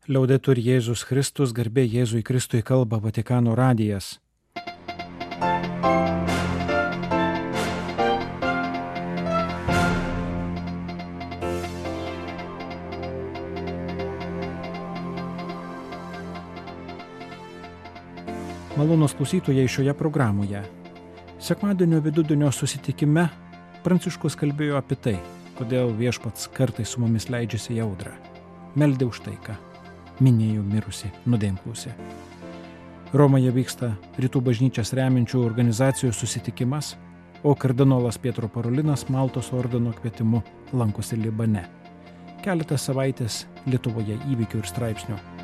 Liaudetur Jėzus Kristus, garbė Jėzui Kristui, kalba Vatikano radijas. Malonūs klausytojai šioje programoje. Sekmadienio vidudienio susitikime Pranciškus kalbėjo apie tai, kodėl viešpats kartais su mumis leidžiasi į audrą. Meldė už taiką. Minėjo mirusi nuodėmklausė. Romoje vyksta Rytų bažnyčias remiančių organizacijų susitikimas, o kardinolas Pietro Parolinas Maltos ordino kvietimu lankosi Libane. Keletą savaitės Lietuvoje įvykių ir straipsnių. Il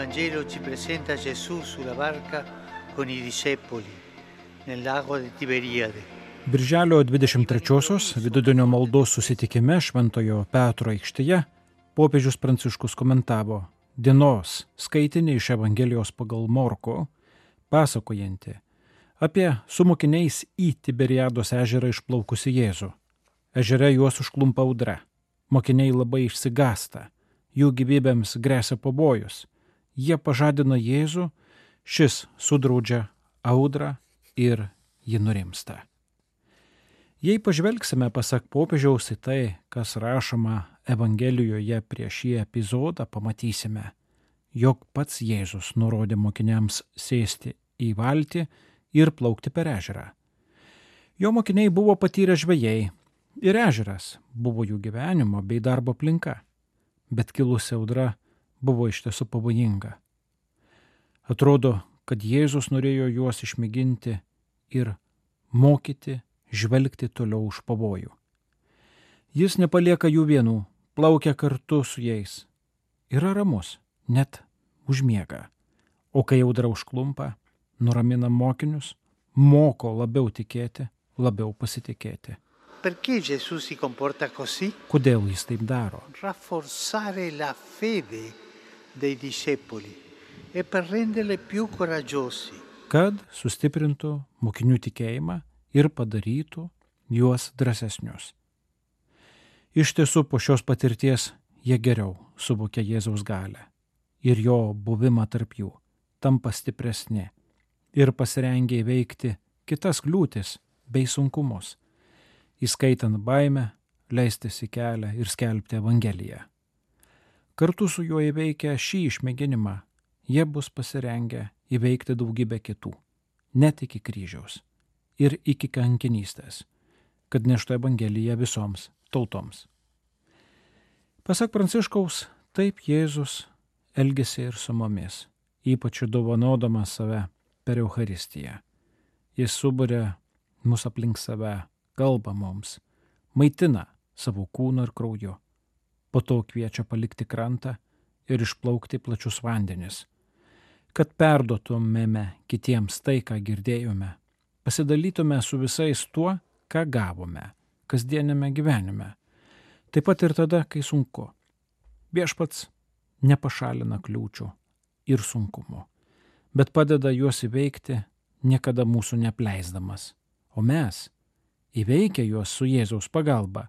Vangelo ci presenta Gesù sulla barca con i discepoli nel lago di Tiberiade. Birželio 23-osios vidudienio maldos susitikime Šventojo Petro aikštėje popiežius Pranciškus komentavo dienos skaitinį iš Evangelijos pagal Morkų, pasakojanti apie su mokiniais į Tiberiados ežerą išplaukusi Jėzų. Ežere juos užklumpa audra. Mokiniai labai išsigąsta. Jų gyvybėms gresia pavojus. Jie pažadina Jėzų, šis sudraudžia audrą ir ji nurimsta. Jei pažvelgsime pasak popiežiaus į tai, kas rašoma Evangelijoje prieš šį epizodą, pamatysime, jog pats Jėzus nurodė mokiniams sėsti į valtį ir plaukti per ežerą. Jo mokiniai buvo patyrę žvejai ir ežeras buvo jų gyvenimo bei darbo aplinka, bet kilusi audra buvo iš tiesų pavojinga. Atrodo, kad Jėzus norėjo juos išmėginti ir mokyti žvelgti toliau už pavojų. Jis nepalieka jų vienų, plaukia kartu su jais. Yra ramus, net užmiega. O kai audra užklumpa, nuramina mokinius, moko labiau tikėti, labiau pasitikėti. Perché Gesù si comporta così? Kodėl jis taip daro? Rafforzare la fede dei discepoli e per renderli più coraggiosi. Kad sustiprintų mokinių tikėjimą ir padarytų juos drąsesnius. Iš tiesų po šios patirties jie geriau suvokia Jėzaus galią ir jo buvimą tarp jų, tampa stipresni ir pasirengia įveikti kitas kliūtis bei sunkumus, įskaitant baimę, leistis į kelią ir skelbti Evangeliją. Kartu su juo įveikę šį išmėginimą, jie bus pasirengę įveikti daugybę kitų, net iki kryžiaus ir iki kankinystės, kad neštų Evangeliją visoms tautoms. Pasak Pranciškaus, taip Jėzus elgėsi ir su mumis, ypač dovanodamas save per Eucharistiją. Jis suburia mus aplink save, kalba mums, maitina savo kūnu ir krauju. Po to kviečia palikti krantą ir išplaukti plačius vandenis, kad perduotumėme kitiems tai, ką girdėjome, pasidalytume su visais tuo, ką gavome kasdienėme gyvenime. Taip pat ir tada, kai sunku. Viešpats nepašalina kliūčių ir sunkumų, bet padeda juos įveikti, niekada mūsų neapleisdamas. O mes, įveikę juos su Jėzaus pagalba,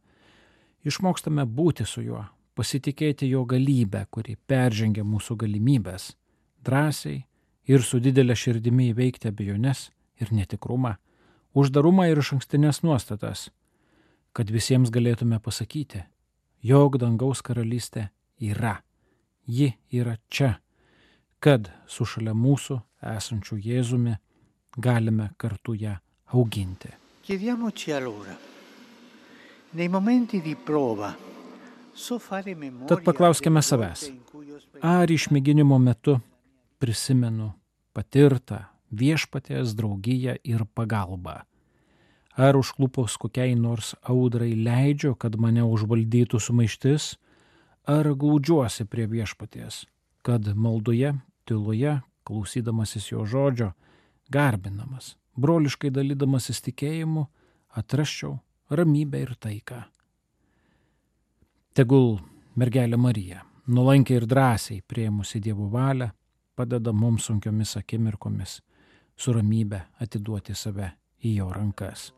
išmokstame būti su juo, pasitikėti jo galybę, kuri peržengia mūsų galimybės, drąsiai ir su didelė širdimi įveikti abejones ir netikrumą, uždarumą ir išankstinės nuostatas, kad visiems galėtume pasakyti, jog dangaus karalystė yra, ji yra čia, kad su šalia mūsų esančiu Jėzumi galime kartu ją auginti. Chiediamoci allora, nei momenti di prova, so fare memoria. Tad paklauskime savęs, ar išmėginimo metu prisimenu patirtą viešpaties draugiją ir pagalbą. Ar užklupus kokiai nors audrai leidžiu, kad mane užvaldytų sumaištis, ar glaudžiuosi prie viešpaties, kad maldoje, tyloje, klausydamasis jo žodžio, garbinamas, broliškai dalydamasis tikėjimu, atrasčiau ramybę ir taiką. Tegul mergelė Marija, nuolankiai ir drąsiai priėmusi Dievo valią, padeda mums sunkiomis akimirkomis su ramybe atiduoti save į jo rankas.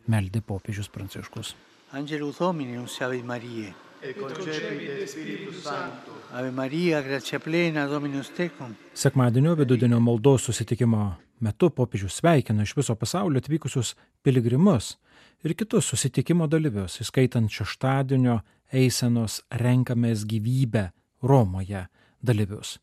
Meldė popiežius Pranciškus. Angelus Domini, Ave Mariae. Et concepit Spiritus Sancto. Ave Maria, gratia plena, Dominus tecum. Sekmadienio vidudienio maldos susitikimo metu popiežius sveikino iš viso pasaulio atvykusius piligrimus ir kitus susitikimo dalyvius, įskaitant šeštadienio eisenos Renkamės gyvybę Romoje dalyvius.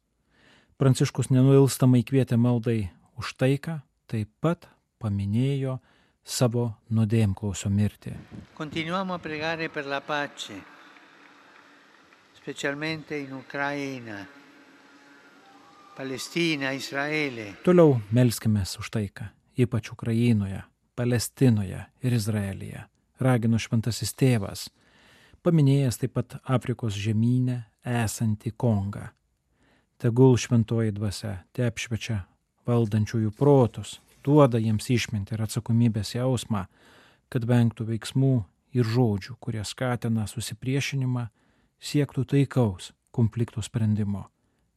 Pranciškus nenuilstamai kvietė maldai už taiką, taip pat paminėjo savo nuodėmklausio mirtį. Continuiamo a pregare per la pace, specialmente in Ucraina, Palestina, Israele. Toliau melskimės už taiką, ypač Ukrainoje, Palestinoje ir Izraelyje, ragino šventasis tėvas, paminėjęs taip pat Afrikos žemyne esantį Kongą. Tegul šventoji dvasia te apšviečia valdančiųjų protus, duoda jiems išmintį ir atsakomybės jausmą, kad vengtų veiksmų ir žodžių, kurie skatina susipriešinimą, siektų taikaus konfliktų sprendimo.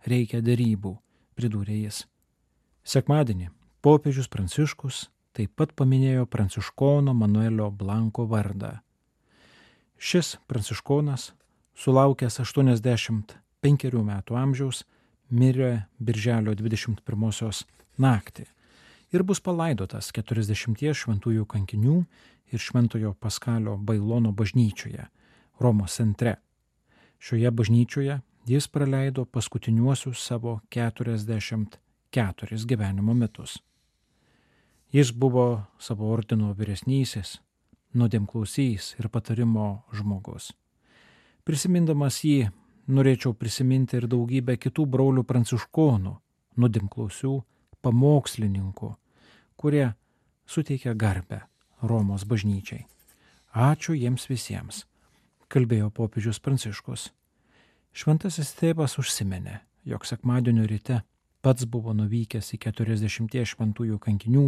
Reikia derybų, pridūrė jis. Sekmadienį popiežius Pranciškus taip pat paminėjo pranciškono Manuelio Blanko vardą. Šis pranciškonas, sulaukęs 85 metų amžiaus, mirė birželio 21 naktį ir bus palaidotas 40 šventųjų kankinių ir Šventojo Paskalio Bailono bažnyčioje, Romos centre. Šioje bažnyčioje jis praleido paskutiniuosius savo 44 gyvenimo metus. Jis buvo savo ordino vyresnysis, nuodėmklausys ir patarimo žmogus. Prisimindamas jį, norėčiau prisiminti ir daugybę kitų brolių pranciškonų, nuodėmklausių, pamokslininkų, kurie suteikia garbę Romos bažnyčiai. Ačiū jiems visiems, kalbėjo popiežius Pranciškus. Šventasis tėvas užsiminė, jog sekmadienio ryte pats buvo nuvykęs į 40 šventųjų kankinių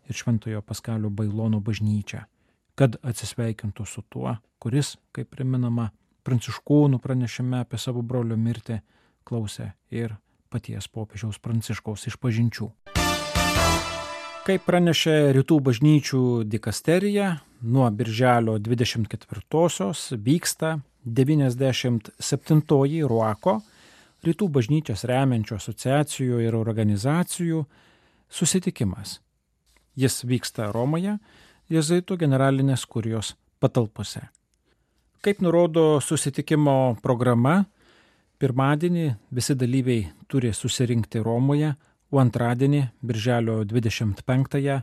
ir Šventojo Paskalio Bailono bažnyčią, kad atsisveikintų su tuo, kuris, kaip priminama, pranciškonų pranešime apie savo brolio mirtį klausė ir paties popiežiaus Pranciškaus išpažinčių. Kaip pranešė Rytų bažnyčių dikasterija, nuo birželio 24-osios vyksta 97-oji Ruako, Rytų bažnyčias remiančių asociacijų ir organizacijų susitikimas. Jis vyksta Romoje, Jėzuitų generalinės kurijos patalpose. Kaip nurodo susitikimo programa, pirmadienį visi dalyviai turi susirinkti Romoje, o antradienį, birželio 25-ąją,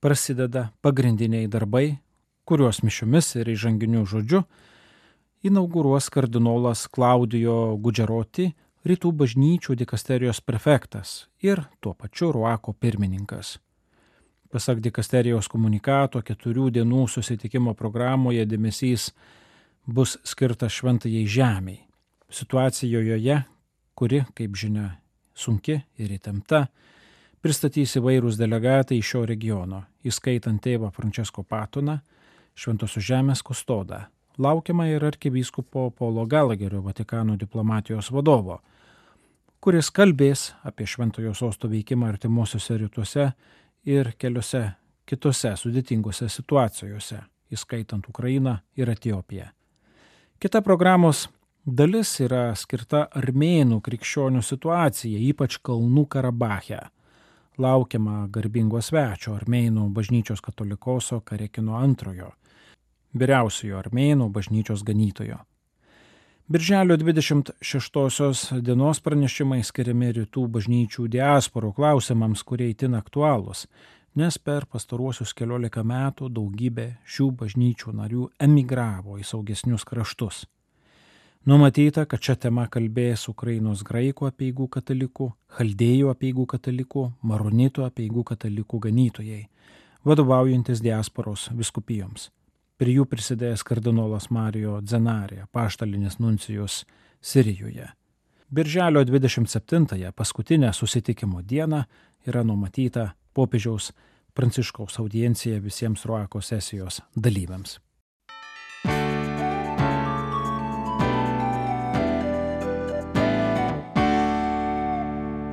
prasideda pagrindiniai darbai, kuriuos mišiomis ir įžanginiu žodžiu inauguruos kardinolas Klaudijo Gudžeroti, Rytų bažnyčių dikasterijos prefektas ir tuo pačiu Ruako pirmininkas. Pasak dikasterijos komunikato, 4 dienų susitikimo programoje dėmesys bus skirtas šventajai žemei. Situacijoje, kuri, kaip žinia, sunki ir įtempta, pristatys įvairūs delegatai iš šio regiono, įskaitant tėvą Francesco Patoną, Šventosios žemės kustodą. Laukiama ir arkivyskupo Paulo Gallagherio, Vatikano diplomatijos vadovo, kuris kalbės apie Šventojo sosto veikimą artimuosiuose rytuose ir keliose kitose sudėtingose situacijose, įskaitant Ukrainą ir Etiopiją. Kita programos dalis yra skirta armėnų krikščionių situacijai, ypač Kalnų Karabache. Laukiama garbingo svečio armėnų bažnyčios katolikoso Karekino II, vyriausiojo armėnų bažnyčios ganytojo. Birželio 26 dienos pranešimai skiriami Rytų bažnyčių diasporų klausimams, kurie itin aktualūs, nes per pastaruosius 14 metų daugybė šių bažnyčių narių emigravo į saugesnius kraštus. Numatyta, kad šią temą kalbės Ukrainos graikų apeigų katalikų, chaldėjų apeigų katalikų, maronitų apeigų katalikų ganytojai, vadovaujantis diasporos vyskupijoms. Prie jų prisidėjęs kardinolas Mario Dzenarė, apaštalinis nuncijus Sirijoje. Birželio 27-ąją, paskutinę susitikimo dieną, yra numatyta popiežiaus Pranciškaus audiencija visiems Ruako sesijos dalyviams.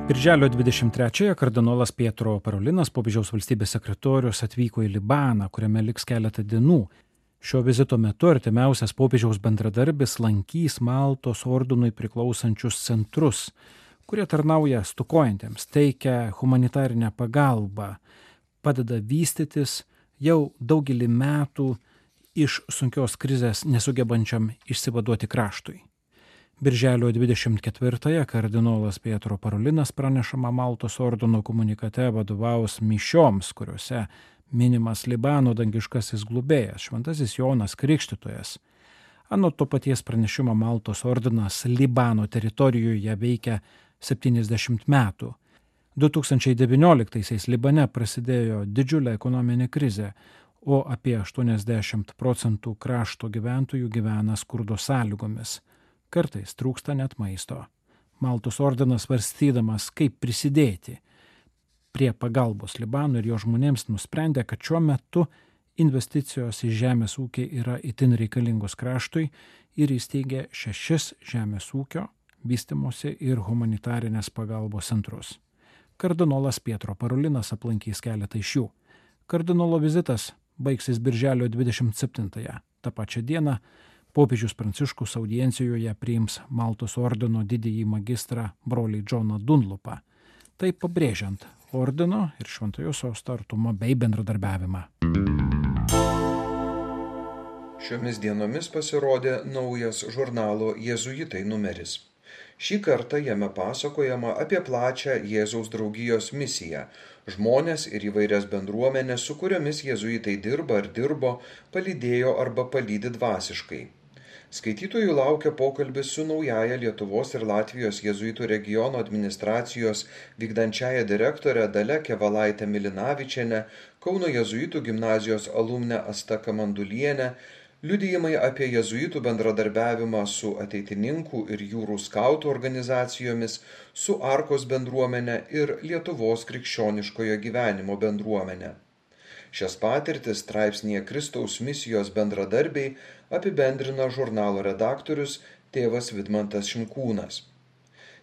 Birželio 23-ąją kardinolas Pietro Parolinas, popiežiaus valstybės sekretorius, atvyko į Libaną, kuriame liks keletą dienų. Šio vizito metu artimiausias popiežiaus bendradarbis lankys Maltos ordinui priklausančius centrus, kurie tarnauja stokojantiems, teikia humanitarinę pagalbą, padeda vystytis jau daugelį metų iš sunkios krizės nesugebančiam išsivaduoti kraštui. Birželio 24-ąją kardinolas Pietro Parolinas pranešama Maltos ordino komunikate vadovaus mišioms, kuriuose minimas Libano dangiškasis globėjas, šventasis Jonas Krikštytojas. Anot to paties pranešimo Maltos ordinas Libano teritorijoje veikia 70 metų. 2019-aisiais Libane prasidėjo didžiulė ekonominė krizė, o apie 80% krašto gyventojų gyvena skurdo sąlygomis. Kartais trūksta net maisto. Maltos ordinas svarstydamas, kaip prisidėti prie pagalbos Libanui ir jo žmonėms, nusprendė, kad šiuo metu investicijos į žemės ūkį yra itin reikalingos kraštui ir įsteigė 6 žemės ūkio, vystymosi ir humanitarinės pagalbos centrus. Kardinolas Pietro Parolinas aplankys keletą iš jų. Kardinolo vizitas baigsis birželio 27-ąją. Ta pačia diena popiežius Pranciškus audiencijoje priims Maltos ordino didįjį magistrą brolį Džoną Dunlopą, tai pabrėžiant ordino ir šventojo sosto artumą bei bendradarbiavimą. Šiomis dienomis pasirodė naujas žurnalo Jėzuitai numeris. Šį kartą jame pasakojama apie plačią Jėzaus draugijos misiją, žmonės ir įvairias bendruomenės, su kuriomis jėzuitai dirba ar dirbo, palydėjo arba palydi dvasiškai. Skaitytojų laukia pokalbis su naujaja Lietuvos ir Latvijos jėzuitų regiono administracijos vykdančiaja direktore Dalia Kevalaite Milinavičiene, Kauno jėzuitų gimnazijos alumne Asta Kamanduliene, liudijimai apie jėzuitų bendradarbiavimą su ateitininkų ir jūrų skautų organizacijomis, su Arkos bendruomene ir Lietuvos krikščioniškojo gyvenimo bendruomene. Šias patirtis straipsnyje Kristaus misijos bendradarbiai apibendrina žurnalo redaktorius tėvas Vidmantas Šimkūnas.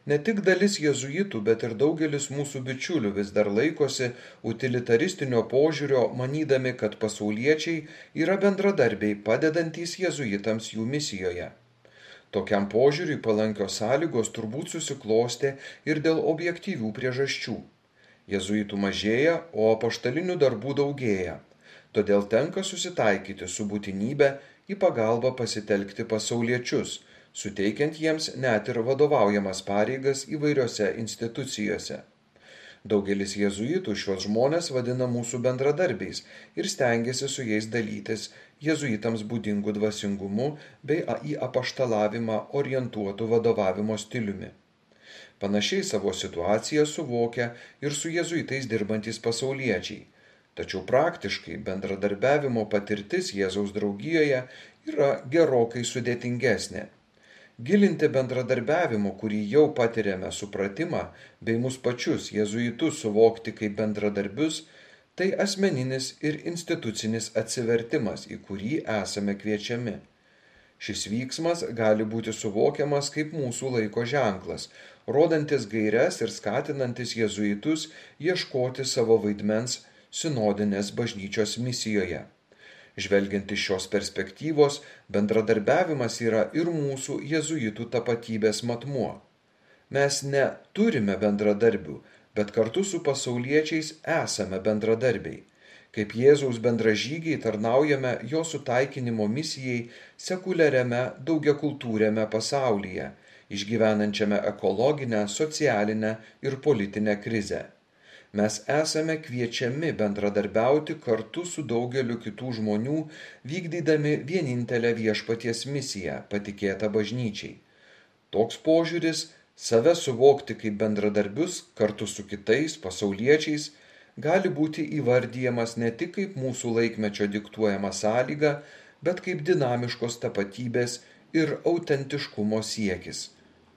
Ne tik dalis jėzuitų, bet ir daugelis mūsų bičiulių vis dar laikosi utilitaristinio požiūrio, manydami, kad pasauliečiai yra bendradarbiai padedantys jėzuitams jų misijoje. Tokiam požiūriui palankios sąlygos turbūt susiklostė ir dėl objektyvių priežasčių. Jėzuitų mažėja, o apaštalinių darbų daugėja. Todėl tenka susitaikyti su būtinybė į pagalbą pasitelkti pasauliečius, suteikiant jiems net ir vadovaujamas pareigas įvairiose institucijose. Daugelis jėzuitų šios žmonės vadina mūsų bendradarbiais ir stengiasi su jais dalytis jėzuitams būdingų dvasingumu bei į apaštalavimą orientuotų vadovavimo stiliumi. Panašiai savo situaciją suvokia ir su jėzuitais dirbantys pasauliečiai. Tačiau praktiškai bendradarbiavimo patirtis Jėzaus draugijoje yra gerokai sudėtingesnė. Gilinti bendradarbiavimo, kurį jau patiriame supratimą, bei mus pačius jėzuitus suvokti kaip bendradarbius, tai asmeninis ir institucinis atsivertimas, į kurį esame kviečiami. Šis vyksmas gali būti suvokiamas kaip mūsų laiko ženklas, rodantis gaires ir skatinantis jėzuitus ieškoti savo vaidmens sinodinės bažnyčios misijoje. Žvelgiant iš šios perspektyvos, bendradarbiavimas yra ir mūsų jėzuitų tapatybės matmuo. Mes ne turime bendradarbių, bet kartu su pasauliečiais esame bendradarbiai. Kaip Jėzaus bendražygiai tarnaujame jo sutaikinimo misijai sekuliariame daugiakultūriame pasaulyje, išgyvenančiame ekologinę, socialinę ir politinę krizę. Mes esame kviečiami bendradarbiauti kartu su daugeliu kitų žmonių, vykdydami vienintelę viešpaties misiją, patikėtą bažnyčiai. Toks požiūris - save suvokti kaip bendradarbius kartu su kitais pasauliečiais - gali būti įvardijamas ne tik kaip mūsų laikmečio diktuojama sąlyga, bet kaip dinamiškos tapatybės ir autentiškumo siekis,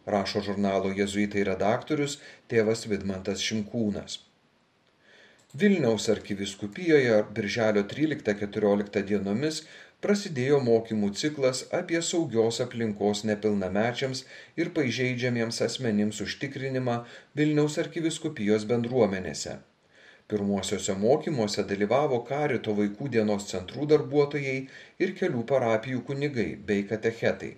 rašo žurnalo Jėzuitai redaktorius tėvas Vidmantas Šimkūnas. Vilniaus arkivyskupijoje birželio 13-14 dienomis prasidėjo mokymų ciklas apie saugios aplinkos nepilnamečiams ir pažeidžiamiems asmenims užtikrinimą Vilniaus arkivyskupijos bendruomenėse. Pirmuosiuose mokymuose dalyvavo Karito vaikų dienos centrų darbuotojai ir kelių parapijų kunigai bei katechetai.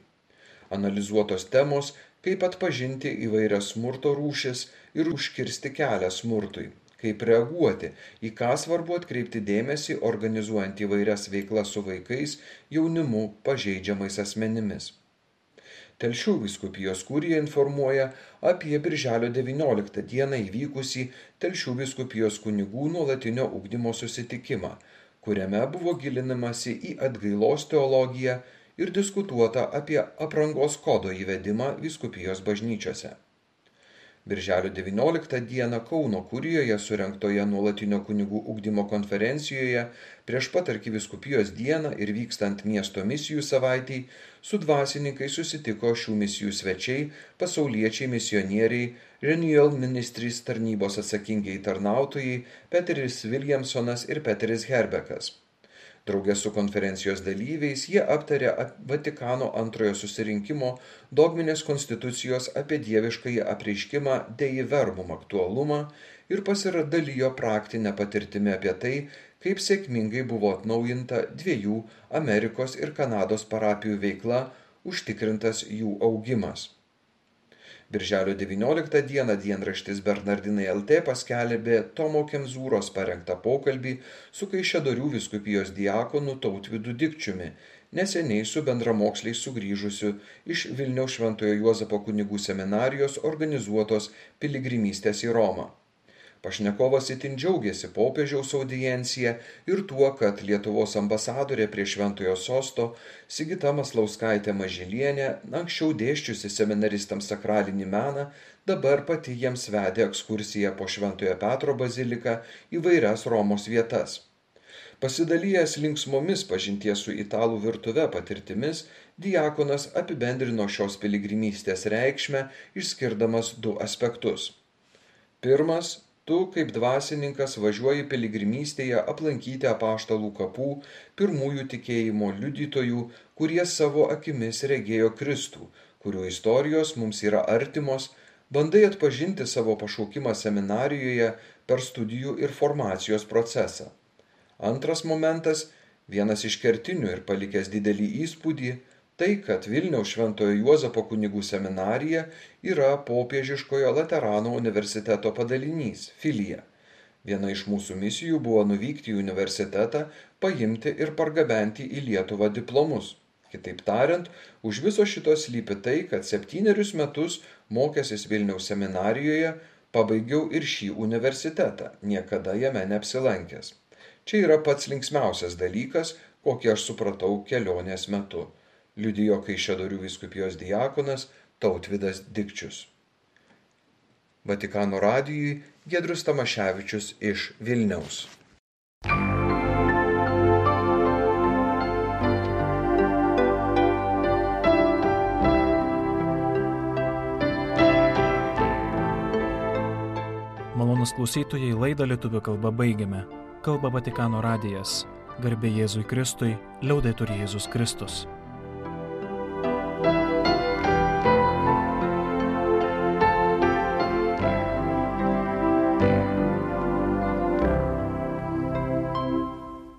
Analizuotos temos, kaip atpažinti įvairias smurto rūšis ir užkirsti kelią smurtui, kaip reaguoti, į ką svarbu atkreipti dėmesį organizuojant įvairias veiklas su vaikais, jaunimu, pažeidžiamais asmenimis. Telšių vyskupijos kurija informuoja apie birželio 19 dieną įvykusį Telšių vyskupijos kunigų nuolatinio ugdymo susitikimą, kuriame buvo gilinamasi į atgailos teologiją ir diskutuota apie aprangos kodo įvedimą vyskupijos bažnyčiose. Birželio 19 dieną Kauno kurijoje surengtoje nuolatinio kunigų ugdymo konferencijoje prieš pat arkivyskupijos dieną ir vykstant miesto misijų savaitei su dvasininkais susitiko šių misijų svečiai, pasauliečiai misionieriai, Renewal Ministries tarnybos atsakingieji tarnautojai Peteris Williamsonas ir Peteris Herbekas. Drauge su konferencijos dalyviais jie aptarė Vatikano antrojo susirinkimo dogminės konstitucijos apie dieviškąjį apreiškimą Dei Verbum aktualumą ir pasidalijo praktinę patirtimį apie tai, kaip sėkmingai buvo atnaujinta 2 Amerikos ir Kanados parapijų veikla, užtikrintas jų augimas. Birželio 19 dieną dienraštis Bernardinai LT paskelbė Tomo Kemzūros parengtą pokalbį su Kaišiadorių vyskupijos diakonu Tautvydu Dikčiumi, neseniai su bendramoksliais sugrįžusiu iš Vilniaus Šventojo Juozapo kunigų seminarijos organizuotos piligrimystės į Romą. Pašnekovas itin džiaugiasi popiežiaus audiencija ir tuo, kad Lietuvos ambasadorė prie Šventojo sosto Sigita Maslauskaitė Mažylienė, anksčiau dėsčiusi seminaristams sakralinį meną, dabar pati jiems vedė ekskursiją po Šventojo Petro baziliką įvairias Romos vietas. Pasidalijęs linksmomis pažinties su italų virtuve patirtimis, diakonas apibendrino šios piligrimystės reikšmę, išskirdamas 2 aspektus. Pirmas, tu kaip dvasininkas važiuoji piligrimystėje aplankyti apaštalų kapų, pirmųjų tikėjimo liudytojų, kurie savo akimis regėjo Kristų, kurių istorijos mums yra artimos, bandai atpažinti savo pašaukimą seminarijoje per studijų ir formacijos procesą. Antras momentas, vienas iš kertinių ir palikęs didelį įspūdį, tai, kad Vilniaus Šventojo Juozapo kunigų seminarija yra popiežiškojo Laterano universiteto padalinys, filija. Viena iš mūsų misijų buvo nuvykti į universitetą, paimti ir pargabenti į Lietuvą diplomus. Kitaip tariant, už viso šito slypi tai, kad 7 metus mokęsis Vilniaus seminarijoje, pabaigiau ir šį universitetą, niekada jame neapsilankęs. Čia yra pats linksmiausias dalykas, kokį aš supratau kelionės metu, liudijo Kaišiadorių vyskupijos diakonas Tautvydas Dikčius. Vatikano radijui Giedrius Tamaševičius iš Vilniaus. Malonūs klausytojai, laidą lietuvių kalba baigiame. Kalba Vatikano radijas. Garbė Jėzui Kristui, liaudetur Jėzus Kristus.